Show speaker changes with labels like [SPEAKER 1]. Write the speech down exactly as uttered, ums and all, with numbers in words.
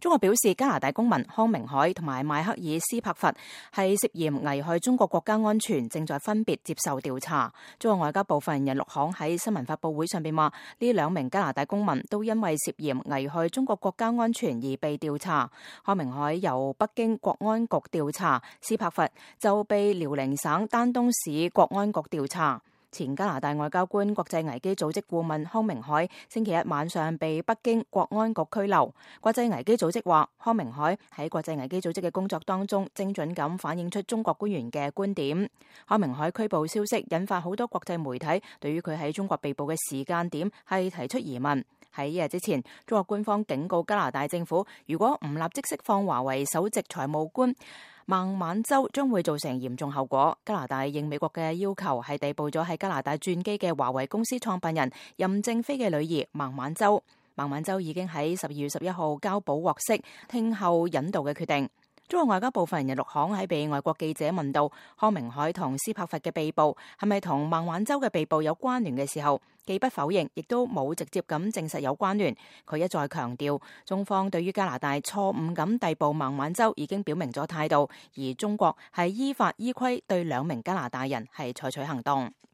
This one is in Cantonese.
[SPEAKER 1] 中國表示，加拿大公民康明凱同埋邁克爾斯柏佛係涉嫌危害中國國家安全，正在分別接受調查。中國外交部發言人陸慷喺新聞發佈會上邊話，呢兩名加拿大公民都因為涉嫌危害中國國家安全而被調查。康明凱由北京國安局調查，斯柏佛就被遼寧省丹東市國安局調查。前加拿大外交官、國際危機組織顧問康明凱星期一晚上被北京國安局拘留。國際危機組織話，康明凱喺國際危機組織嘅工作當中，精準咁反映出中國官員嘅觀點。康明凱拘捕消息引發好多國際媒體對於佢喺中國被捕嘅時間點係提出疑問。喺一日之前，中國官方警告加拿大政府，如果唔立即釋放華為首席財務官孟晚舟，將會造成嚴重後果。加拿大應美國嘅要求，係逮捕咗喺加拿大轉機嘅華為公司創辦人任正非嘅女兒孟晚舟。孟晚舟已經喺十二月十一號交保獲釋，聽候引渡嘅決定。中國外交部發言人陸慷喺被外國記者問到康明凱同斯柏佛嘅被捕係咪同孟晚舟嘅被捕有關聯嘅時候，既不否認，亦都冇直接咁證實有關聯。佢一再強調，中方對於加拿大錯誤咁逮捕孟晚舟已經表明咗態度，而中國係依法依規對兩名加拿大人係採取行動。